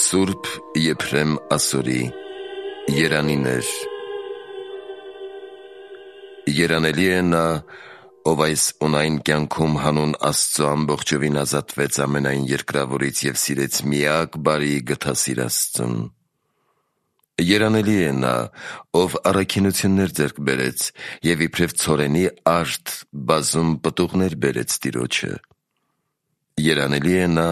Սուրբ Եփրեմ Ասորի երանիներ։ Երանելի է նա, ով այս ունայն կյանքում հանուն Աստծո ամբողջովին ազատվեց ամենայն երկրավորից և սիրեց միակ բարի գթասիր Աստծուն։ Երանելի է նա, ով առաքինություններ ձեռք բերեց և իբրև ցորենի արդ բազում պտուղներ բերեց Տիրոջը։ Երանելի է նա,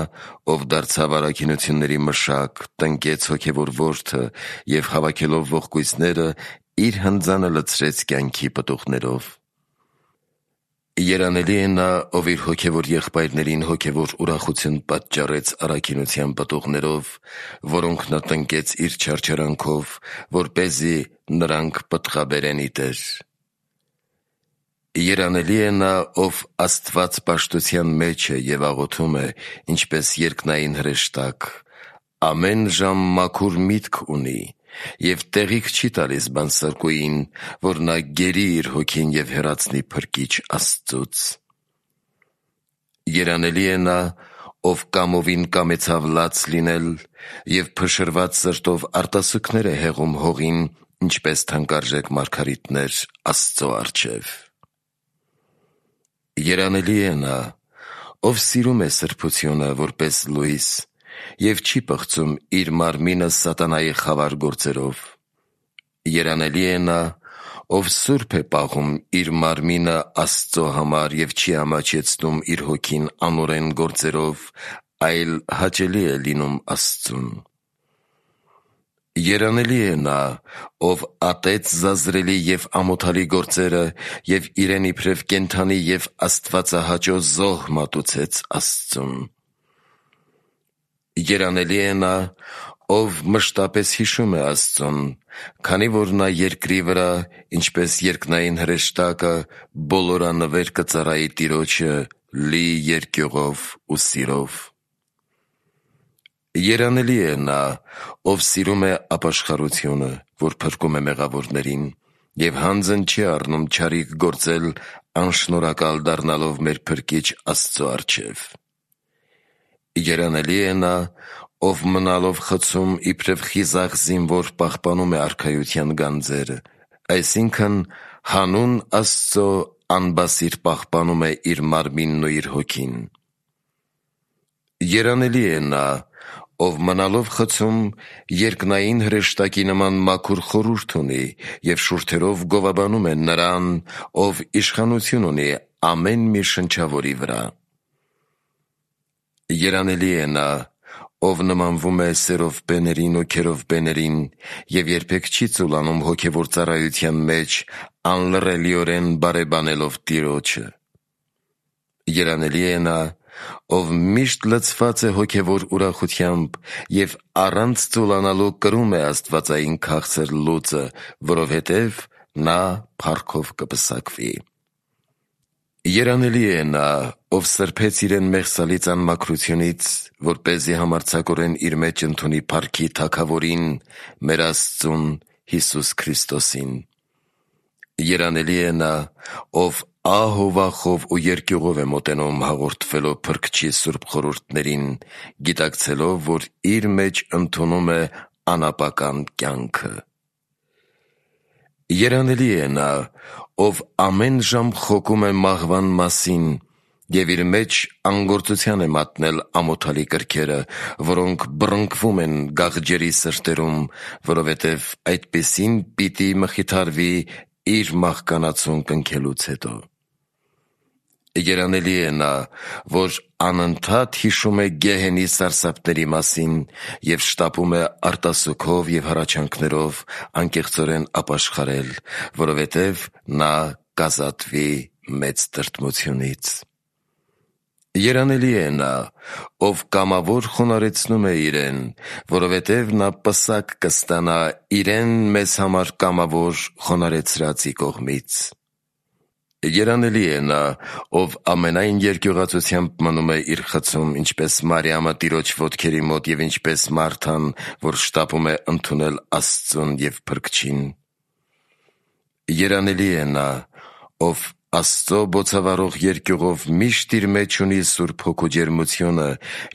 ով դարձավ առաքինությունների մշակ, տնկեց հոգևոր որդը և հավաքելով ողկույծները իր հնձանը լցրեց կյանքի պտուղներով։ Երանելի է նա, ով իր հոգևոր եղբայրներին հոգևոր ուրախություն պատճառեց առաքինության պտուղներով, որոնք նա տնկեց իր չարչարանքով, որպեսզի նրանք պտղաբերեն ի Տեր։ Երանելի է նա, ով Աստված պաշտության մեջ է և աղոթում է, ինչպես երկնային հրեշտակ, ամեն ժամ մաքուր միտք ունի և տեղիք չի տալիս բանսարկուին, որ նա գերի իր հոգին և հեռացնի Փրկիչ Աստծուց։ Երանելի է նա, ով կամովին կամեցավ լաց լինել և փշրված սրտով արտասուքներ է հեղում հողին, ինչպես թանկարժեք մարգարիտներ Աստծո առջև։ Երանելի է նա, ով սիրում է սրբությունը որպես լույս և չի պղծում իր մարմինը սատանայի խավար գործերով։ Երանելի է նա, ով սուրբ է պահում իր մարմինը Աստծո համար և չի ամաչեցնում իր հոգին անօրեն գործերով, այլ հաճելի է լինում Աստծուն։ Երանելի է նա, ով ատեց զազրելի և ամոթալի գործերը և իրեն իբրև կենդանի և աստվածահաճո զոհ մատուցեց Աստծուն։ Երանելի է նա, ով մշտապես հիշում է Աստծուն, քանի որ նա երկրի վրա, ինչպես երկնային հրեշտակը, բոլորանվեր կծառայի Տիրոջը լի երկյուղով ու սիրով։ Երանելի է նա, ով սիրում է ապաշխարությունը, որ փրկում է մեղավորներին, և հանձն չի առնում չարիք գործել, անշնորհակալ դառնալով մեր Փրկիչ Աստծո առջև։ Երանելի է նա, ով մնալով խցում իբրև խիզախ զինվոր պահպանում է արքայության գանձերը, այսինքն հանուն Աստծո անբասիր պահպանում է իր մարմինն ու իր հոգին։ Երանելի է նա, ով մնալով խցում երկնային հրեշտակի նման մաքուր խորհուրդ ունի և շուրթերով գովաբանում է Նրան, ով իշխանություն ունի ամեն մի շնչավորի վրա։ Երանելի է նա, ով նմանվում է սերովբեներին ու քերովբեներին և երբեք չի ծուլանում հոգևոր ծառայության մեջ, անլռելիորեն բարեբանելով Տիրոջը։ Երանելի է նա, ով միշտ լցված է հոգևոր ուրախությամբ և առանց ծուլանալու կրում է աստվածային քաղցր լուծը, որովհետև նա փառքով կպսակվի։ Երանելի է նա, ով սրբեց իրեն մեղսալից անմաքրությունից, որպեսզի համարձակորեն իր մեջ ընդունի փառքի Թագավորին, մեր Աստծուն Հիսուս Քրիստոսին։ Երանելի է նա, ով ահ ու վախով ու երկյուղով է մոտենում հաղորդվելով Փրկչի սուրբ խորհուրդներին, գիտակցելով, որ իր մեջ ընդունում է անապական կյանքը։ Երանելի է նա, ով ամեն ժամ խոկում է մահվան մասին և իր մեջ անգործության է մատնել ամոթալի կրքերը, որոնք բռնկվում են գաղջերի սրտերում, որովհետև այդպիսին պիտի մխիթարվի իր մահկանացուն կնքելուց հետո։ Երանելի է նա, որ անընդհատ հիշում է գեհենի սարսափների մասին և շտապում է արտասուքով և հառաչանքներով անկեղծորեն ապաշխարել, որովհետև նա կազատվի մեծ տրտմությունից։ Երանելի է նա, ով կամավոր խոնարհեցնում է իրեն, որովհետև նա պսակ կստանա իրեն մեզ համար կամավոր խոնարհեցրածի կողմից։ Երանելի է նա, ով ամենայն երկյուղածությամբ մնում է իր խցում, ինչպես Մարիամը Տիրոջ ոտքերի մոտ և ինչպես Մարթան, որ շտապում է ընդունել Աստծուն և Փրկչին։ Երանելի է նա, ով Աստծո բոցավառող երկյուղով միշտ իր մեջ ունի Սուրբ Հոգու ջերմությունը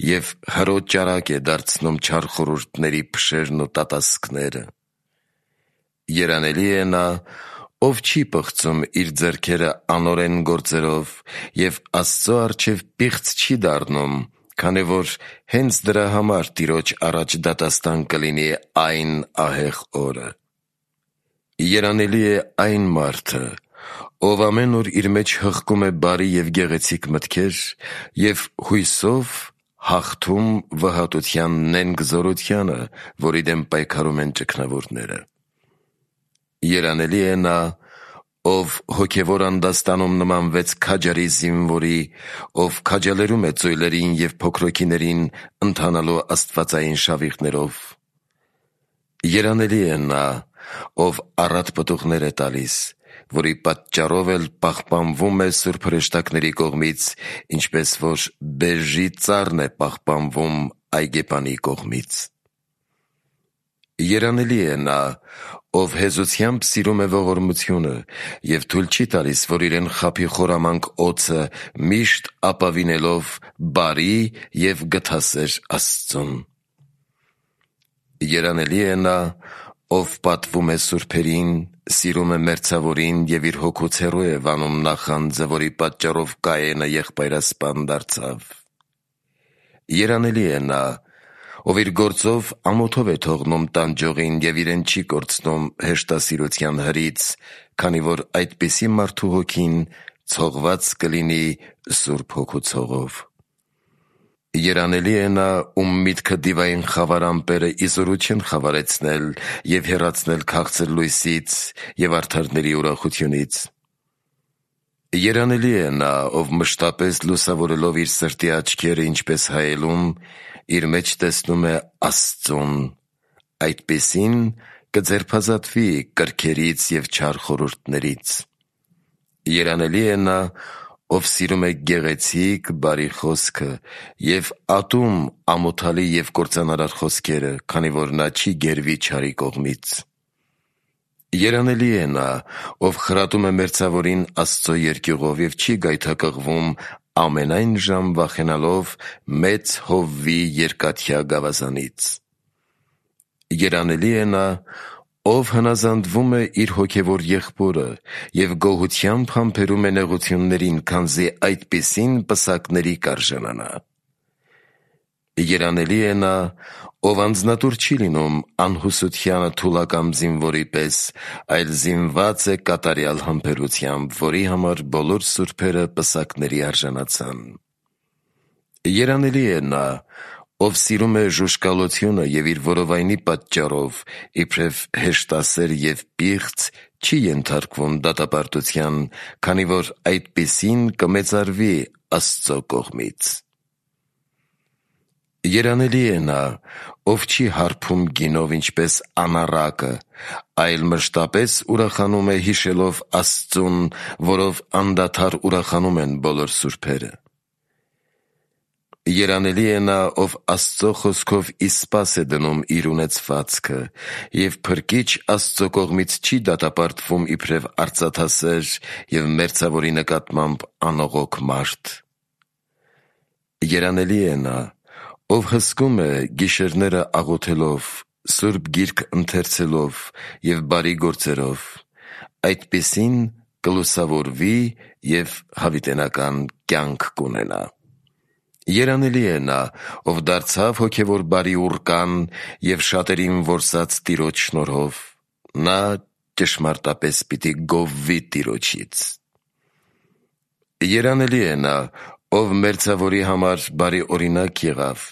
և հրոտ ճարակ է դարձնում չար խորհուրդների փշերն ու տատասկները։ Երանելի է նա, ով չի պղծում իր ձեռքերը անօրեն գործերով և Աստծո առջև պիղծ չի դառնում, քանի որ հենց դրա համար Տիրոջ առաջ դատաստան կլինի այն ահեղ օրը։ Երանելի է այն մարդը, ով ամեն օր իր մեջ հղկում է բարի և գեղեցիկ մտքեր և հույսով հաղթում վհատության նենգ զորությանը, որի դեմ պայքարում են ճգնավորները։ Երանելի է նա, ով հոգևոր անդաստանում նմանվեց քաջարի զինվորի, ով քաջալերում է ծույլերին և փոքրոքիներին ընթանալու աստվածային շավիղներով։ Երանելի է նա, ով առատ պտուղներ է տալիս, որի պատճառով էլ պահպանվում է սուրբ հրեշտակների կողմից, ինչպես որ բերրի ծառն է պահպանվում այգեպանի կողմից։ Երանելի է նա, ով հեզությամբ սիրում է ողորմությունը և թույլ չի տալիս, որ իրեն խաբի խորամանկ օձը, միշտ ապավինելով բարի և գթասեր Աստծուն։ Երանելի է նա, ով պատվում է սուրբերին, սիրում է մերձավորին և իր հոգուց հեռու է վանում նախանձը, որի պատճառով Կայենը եղբայրասպան դարձավ։ Երանելի է նա, ով իր գործով ամոթով է թողնում տանջողին և իրեն չի կորցնում հեշտասիրության հրից, քանի որ այդպիսի մարդու հոգին ցողված կլինի Սուրբ Հոգու ցողով։ Երանելի է նա, ում միտքը դիվային խավար ամպերը իզորու չեն խավարեցնել և հեռացնել քաղցր լույսից և արդարների ուրախությունից։ Երանելի է նա, ով մշտապես լուսավորելով իր սրտի աչքերը, ինչպես հայելում, իր մեջ տեսնում է Աստծուն, այդպիսին կձերբազատվի կրքերից և չար խորհուրդներից։ Երանելի է նա, ով սիրում է գեղեցիկ, բարի խոսքը և ատում ամոթալի և կործանարար խոսքերը, քանի որ նա չի գերվի չարի կողմից։ Երանելի է նա, ով խրատում է մերձավորին Աստծո երկյուղով և չի գայթակղվում ամենայն ժամ վախենալով մեծ հովվի երկաթյա գավազանից։ Երանելի է նա, ով հնազանդվում է իր հոգևոր եղբորը և գոհությամբ համբերում է նեղություններին, քանզի այդպիսին պսակների կարժանանա։ Երանելի է նա, ով անձնատուր չի լինում անհուսությանը թուլակամ զինվորի պես, այլ զինված է կատարյալ համբերությամբ, որի համար բոլոր սուրբերը պսակների արժանացան։ Երանելի է նա, ով սիրում է ժուժկալությունը և իր որովայնի պատճառով, իբրև հեշտասեր և պիղծ, չի ենթարկվում դատապարտության, քանի որ այդպիսին կմեծարվի Աստծո կողմից։ Երանելի է նա, ով չի հարբում գինով, ինչպես անառակը, այլ մշտապես ուրախանում է հիշելով Աստծուն, որով անդադար ուրախանում են բոլոր սուրբերը։ Երանելի է նա, ով Աստծո խոսքով ի սպաս է դնում իր ունեցվածքը և փրկիչ Աստծո կողմից չի դատապարտվում իբրև արծաթասեր և մերձավորի նկատմամբ անողոք մարդ։ Երանելի է նա, ով հսկում է գիշերները աղոթելով, Սուրբ Գիրք ընթերցելով և բարի գործերով, այդպիսին կլուսավորվի և հավիտենական կյանք կունենա։ Երանելի է նա, ով դարձավ հոգևոր բարի ուռկան և շատերին որսաց Տիրոջ շնորհով, նա ճշմարտապես պիտի գովվի Տիրոջից։ Երանելի է նա, ով մերձավորի համար բարի օրինակ եղավ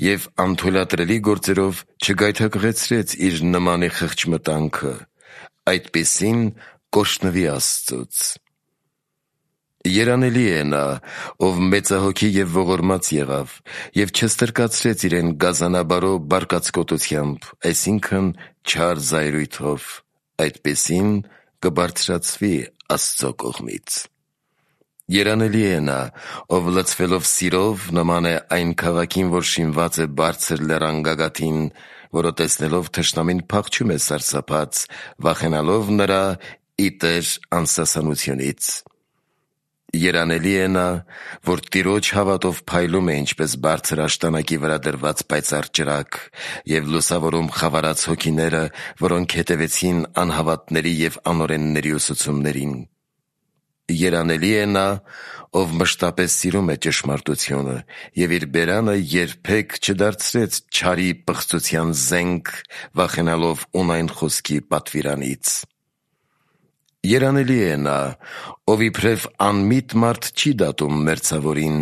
և անթույլատրելի գործերով չգայթակղեցրեց իր նմանի խղճմտանքը, այդպիսին կօրհնվի Աստծուց։ Երանելի է նա, ով մեծահոգի և ողորմած եղավ և չստրկացրեց իրեն գազանաբարո բարկացկոտությամբ, այսինքն չար զայրույթով, այդպիսին կբարձրացվի Աստծո կողմից։ Երանելի է նա, ով լցվելով սիրով նման է այն քաղաքին, որ շինված է բարձր լեռան գագաթին, որը տեսնելով թշնամին փախչում է սարսափած, վախենալով նրա ի տեր անսասանությունից։ Երանելի է նա, որ Տիրոջ հավատով փայլում է ինչպես բարձր աշտանակի վրա դրված պայծառ ճրագ և լուսավորում խավարած հոգիները, որոնք հետևեցին անհավատների և անօրենների ուսուցումներին։ Երանելի է նա, ով մշտապես սիրում է ճշմարտությունը և իր բերանը երբեք չդարձրեց չարի պղծության զենք, վախենալով ունայն խոսքի պատվիրանից։ Երանելի է նա, ով իբրև անմիտ մարդ չի դատում մերձավորին,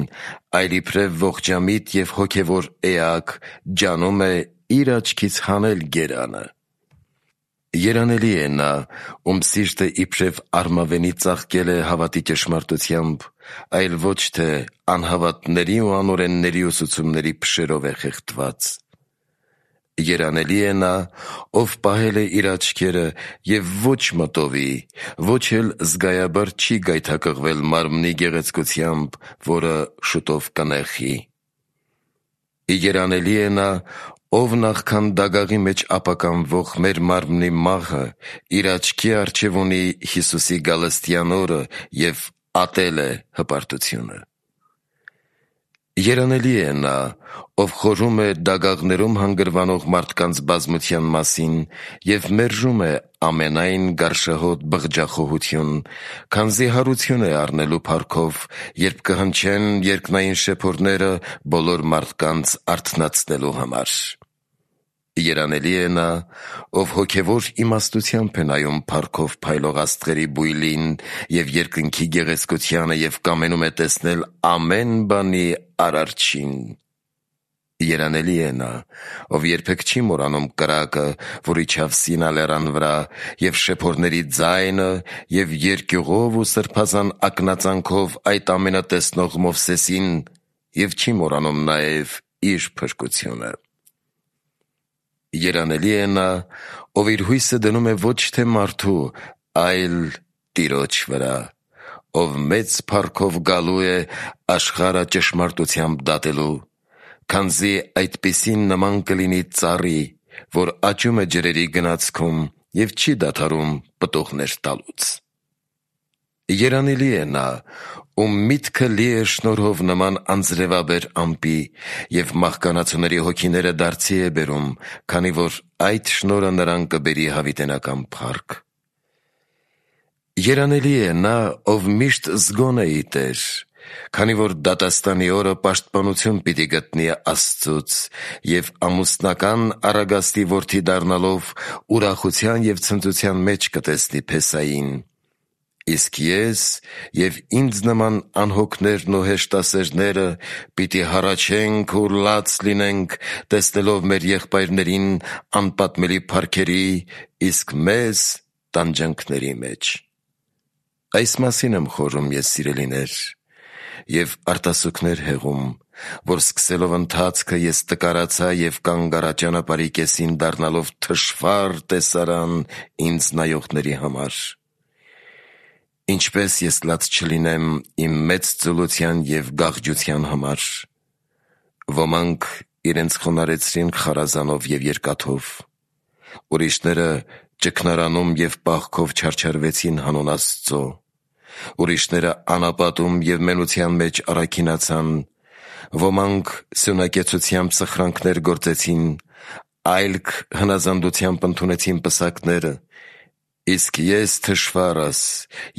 այլ իբրև ողջամիտ և հոգևոր էակ ջանում է իր աչքից հանել գերանը։ Երանելի է նա, ում սիրտը իբրև արմավենի ծաղկել է հավատի ճշմարտությամբ, այլ ոչ թե անհավատների ու անօրենների ուսուցումների փշերով է խեղդված։ Երանելի է նա, ով պահել է իր աչքերը և ոչ մտովի, ոչ էլ զգայաբար չի գայթակղվել մարմնի գեղեցկությամբ, որը շուտով կնեխի։ Երանելի է նա, ով նախքան դագաղի մեջ ապականվող մեր մարմնի մահը իր աչքի առջև ունի Հիսուսի գալստյան օրը և ատել է հպարտությունը։ Երանելի է նա, ով խորհում է դագաղներում հանգրվանող մարդկանց բազմության մասին և մերժում է ամենայն գարշահոտ բղջախոհություն, քանզի հարություն է առնելու փառքով, երբ կհնչեն երկնային շեփորները բոլոր մարդկանց արթնացնելու համար։ Երանելի է նա, ով հոգևոր իմաստությամբ է նայում փառքով փայլող աստղերի բույլին և երկնքի գեղեցկությանը և կամենում է տեսնել ամեն բանի Արարչին։ Երանելի է նա, ով երբեք չի մոռանում կրակը, որ իջավ Սինա լեռան վրա, և շեփորների ձայնը, և երկյուղով ու սրբազան ակնածանքով այդ ամենը տեսնող Մովսեսին, և չի մոռանում նաև իր փրկությունը։ Երանելի է նա, ով իր հույսը դնում է ոչ թե մարդու, այլ Տիրոջ վրա, ով մեծ փառքով գալու է աշխարհը ճշմարտությամբ դատելու, քանզի այդպիսին նման կլինի ծառի, որ աճում է ջրերի գնացքում և չի դադարում պտուղներ տալուց։ Երանելի է նա, ում միտքը լի է շնորհով նման անձրևաբեր ամպի և մահկանացուների հոգիները դարձի է բերում, քանի որ այդ շնորհը նրան կբերի հավիտենական փառք։ Երանելի է նա, ով միշտ զգոն է ի Տեր, քանի որ դատաստանի օրը պաշտպանություն պիտի գտնի Աստծուց և ամուսնական առագաստի որդի դառնալով ուրախության և ցնծության մեջ կտեսնի Փեսային։ Իսկ ես և ինձ նման անհոգներն ու հեշտասերները պիտի հառաչենք ու լաց լինենք, տեսնելով մեր եղբայրներին անպատմելի փառքերի, իսկ մեզ տանջանքների մեջ։ Այս մասին եմ խորհում ես, սիրելիներ, և արտասուքներ հեղում, որ սկսելով ընթացքը ես տկարացա և կանգ առա ճանապարհի կեսին դառնալով թշվառ տեսարան ինձ նայողների համար։ Ինչպես ես լաց չլինեմ իմ մեծ ծուլության և գաղջության համար։ Ոմանք իրենց խոնարհեցրին խարազանով և երկաթով, ուրիշները ճգնարանում և պահքով չարչարվեցին հանուն Աստծո, ուրիշները անապատում և մենության մեջ առաքինացան, ոմանք սյունակեցությամբ սխրանքներ գործեցին, այլք հնազանդությամբ ընդունեցին պսակները, իսկ ես թշվառս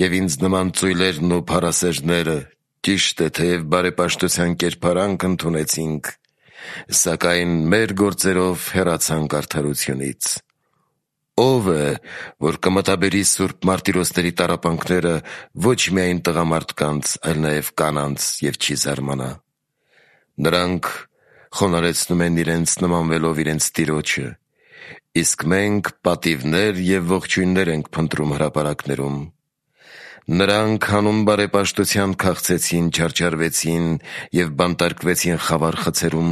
և ինձ նման ծույլերն ու փառասերները, ճիշտ է, թեև բարեպաշտության կերպարանք ընդունեցինք, սակայն մեր գործերով հեռացանք արդարությունից։ Ո՞վ է, որ կմտաբերի սուրբ մարտիրոսների տառապանքները ոչ միայն տղամարդկանց, այլ նաև կանանց և չի զարմանա։ Նրանք խոնարհեցնում են իրենց նմանվելով իրենց Տիրոջը, իսկ մենք պատիվներ և ողջույններ ենք փնտրում հրապարակներում։ Նրանք հանուն բարեպաշտության քաղցեցին, չարչարվեցին և բանտարկվեցին խավար խցերում,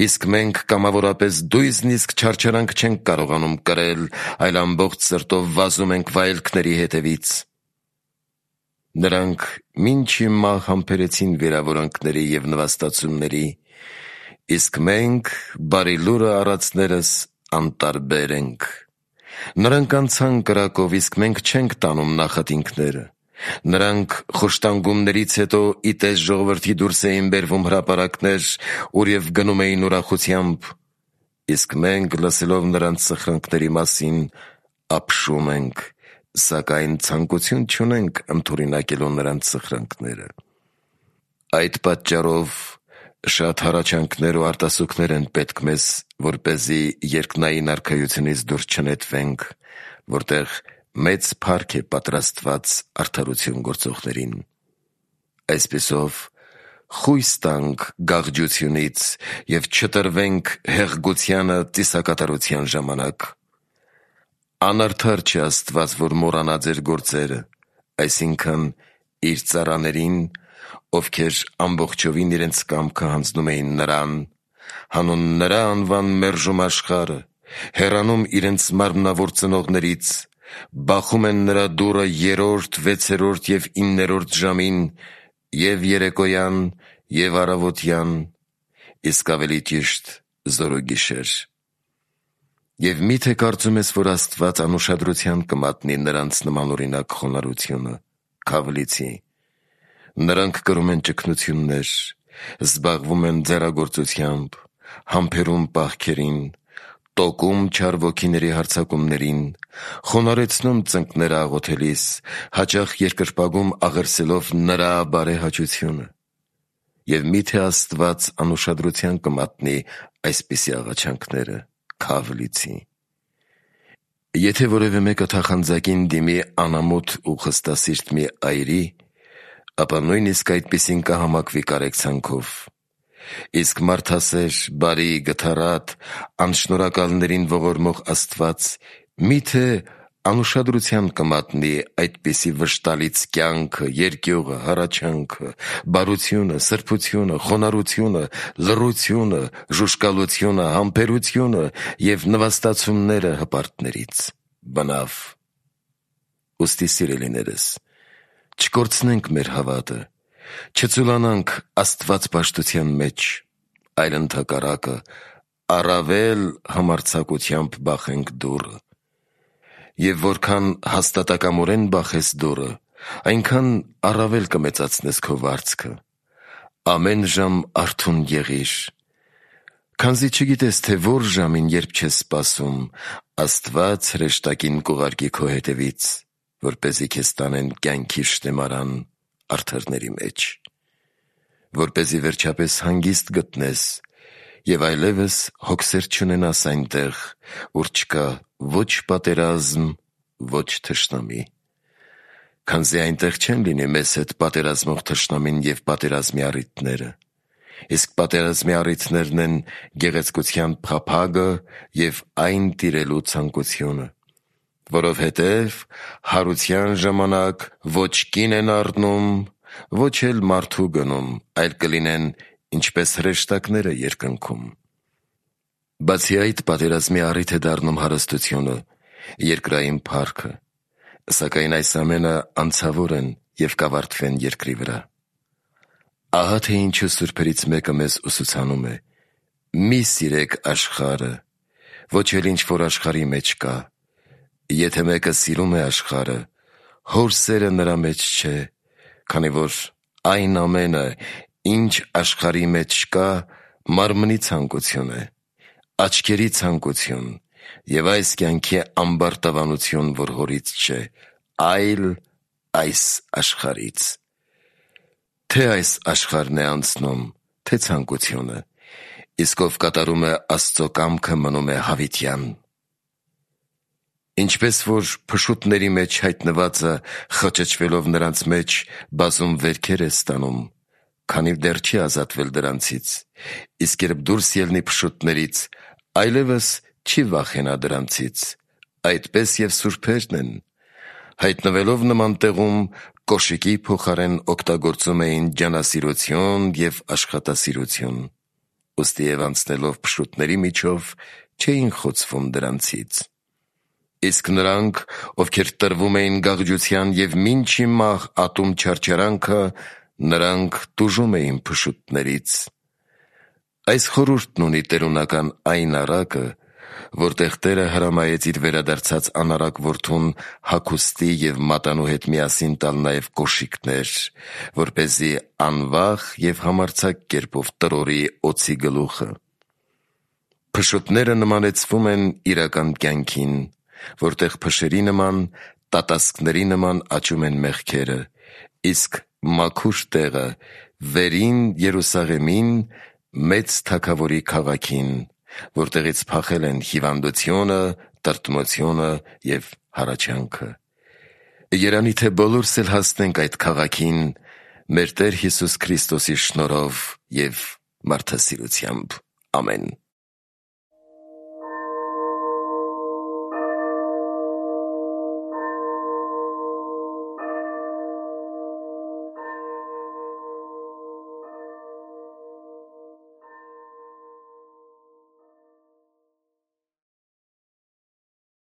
իսկ մենք կամավորապես դույզն իսկ չարչարանք չենք կարողանում կրել, այլ ամբողջ սրտով վազում ենք վայելքների հետևից։ Նրանք մինչև մահ համբերեցին վիրավորանքների և նվաստացումների, իսկ մենք բարի լուրը առածներս անտարբեր ենք։ Նրանք անցան կրակով, իսկ մենք չենք տանում նախատինքները, Նրանք խոշտանգումներից հետո իտես ժողովրդի դուրս էին բերվում հրապարակներ, ուր և գնում էին ուրախությամբ, իսկ մենք, լսելով նրանց սխրանքների մասին, ապշում ենք, սակայն ցանկություն չունենք ընդօրինակելու նրանց սխրանքները։ Այդ պատճառով շատ հառաչանքներ ու արտասուքներ են պետք մեզ, որպեսզի երկնային արքայությունից դուրս չնետվենք, որտեղ մեծ փառք է պատրաստված արդարություն գործողներին։ Այսպիսով, խույս տանք գաղջությունից և չտրվենք հեղգությանը ծիսակատարության ժամանակ։ Անարդար չէ Աստված, որ մոռանա ձեր գործերը, այսինքն իր ծառաներին, ովքեր ամբողջովին իրենց կամքը հանձնում էին նրան, հանուն նրա անվան մերժում աշխարհը, հեռանում իրենց մարմնավոր ծնողներից, բախում են նրա դուռը 3-րդ, 6-րդ և 9-րդ ժամին, և երեկոյան, և առավոտյան, իսկ ավելի ճիշտ զօրոգիշեր։ Եվ մի՞թե կարծում ես, որ Աստված անուշադրության կմատնի նրանց նմանօրինակ խոնարհությունը, քավլիցի։ Նրանք կրում են ճգնություններ, զբաղվում են ձեռագործությամբ, համբերում պահքերին, տոկում չար ոգիների հարձակումներին, խոնարհեցնում ծնկները աղոթելիս, հաճախ երկրպագում աղերսելով նրա բարեհաճությունը։ Եվ մի՞թե Աստված անուշադրության կմատնի այսպիսի աղաչանքները, քավլիցի։ Եթե որևէ մեկը թախանձակին դիմի անամոթ ու խստասիրտ մի այրի, ապա նույնիսկ այդպիսին կհամակվի կարեկցանքով։ Իսկ մարդասեր, բարի, գթառատ, անշնորհակալներին ողորմող Աստված մի՞թե անուշադրության կմատնի այդպիսի վշտալից կյանքը, երկյուղը, հառաչանքը, բարությունը, սրբությունը, խոնարհությունը, լռությունը, ժուժկալությունը, համբերությունը և նվաստացումները հպարտներից։ Բնավ։ Ուստի սիրելիներս, չկորցնենք մեր հավատը, չծուլանանք աստվածպաշտության մեջ, այլ ընդհակառակը առավել համարձակությամբ բախենք դուռը։ Եվ որքան հաստատակամորեն բախես դուռը, այնքան առավել կմեծացնես քո վարձքը։ Ամեն ժամ արթուն եղիր, քանզի չգիտես, թե որ ժամին, երբ չես սպասում, Աստված հրեշտակին կուղարկի քո հետևից, որպեսզի քեզ տանեն կյանքի շտեմարան արդարների մեջ, որպեսզի վերջապես հանգիստ գտնես և այլևս հոգսեր չունենաս այնտեղ, ուր չկա ոչ պատերազմ, ոչ թշնամի, քանզի այնտեղ չեն լինի մեզ հետ պատերազմող թշնամին և պատերազմի առիթները, իսկ պատերազմի առիթներն են գեղեցկության փափագը և այն տիրելու ցանկությունը, որովհետև հարության ժամանակ ոչ կին են առնում, ոչ էլ մարդու գնում, այլ կլինեն ինչպես հրեշտակները երկնքում։ Բացի այդ, պատերազմի առիթ է դառնում հարստությունը, երկրային փառքը, սակայն այս ամենը անցավոր են և կավարտվեն երկրի վրա։ Ահա թե ինչու սուրբերից մեկը մեզ ուսուցանում է. մի սիրեք աշխարհը, ոչ էլ ինչ որ աշխարհի մեջ կա։ Եթե մեկը սիրում է աշխարհը, Հոր սերը նրա մեջ չէ, քանի որ այն ամենը, ինչ աշխարհի մեջ կա, մարմնի ցանկություն է, աչքերի ցանկություն և այս կյանքի ամբարտավանություն, որ Հորից չէ, այլ այս աշխարհից։ Թե այս աշխարհն է անցնում, թե ցանկությունը, իսկ ով կատարում է Աստծո կամքը, մնում է հավիտյան։ Ինչպես որ փշուտների մեջ հայտնվածը խճճվելով նրանց մեջ բազում վերքեր է ստանում, քանի դեռ չի ազատվել դրանցից, իսկ երբ դուրս ելնի փշուտներից, այլևս չի վախենա դրանցից, այդպես և սուրբերն են, հայտնվելով նման տեղում, կոշիկի փոխարեն օգտագործում էին ջանասիրություն և աշխատասիրություն, ուստի և անցնելով փշուտների միջով չէին խոցվում դրանցից։ Իսկ նրանք, ովքեր տրվում էին գաղջության և մինչի մահ ատում չարչարանքը, նրանք տուժում էին փշուտներից։ Այս խորհուրդն ունի տերունական այն առակը, որտեղ Տերը հրամայեց իր վերադարձած անարակ որդուն հագուստի և մատանու հետ միասին տալ նաև կոշիկներ, որպեսզի անվախ և համարձակ կերպով տրորի օձի գլուխը։ Փշոտները նմանեցվում են իրական կյանքին, որտեղ փշերի նման, տատասկների նման աճում են մեղքերը, իսկ մաքուր տեղը վերին Երուսաղեմին, մեծ Թագավորի քաղաքին, որտեղից փախել են հիվանդությունը, տրտմությունը և հառաչանքը։ Երանի թե բոլորս էլ հասնենք այդ քաղաքին մեր Տեր Հիսուս Քրիստոսի շնորհով և մարդասիրությամբ։ Ամեն։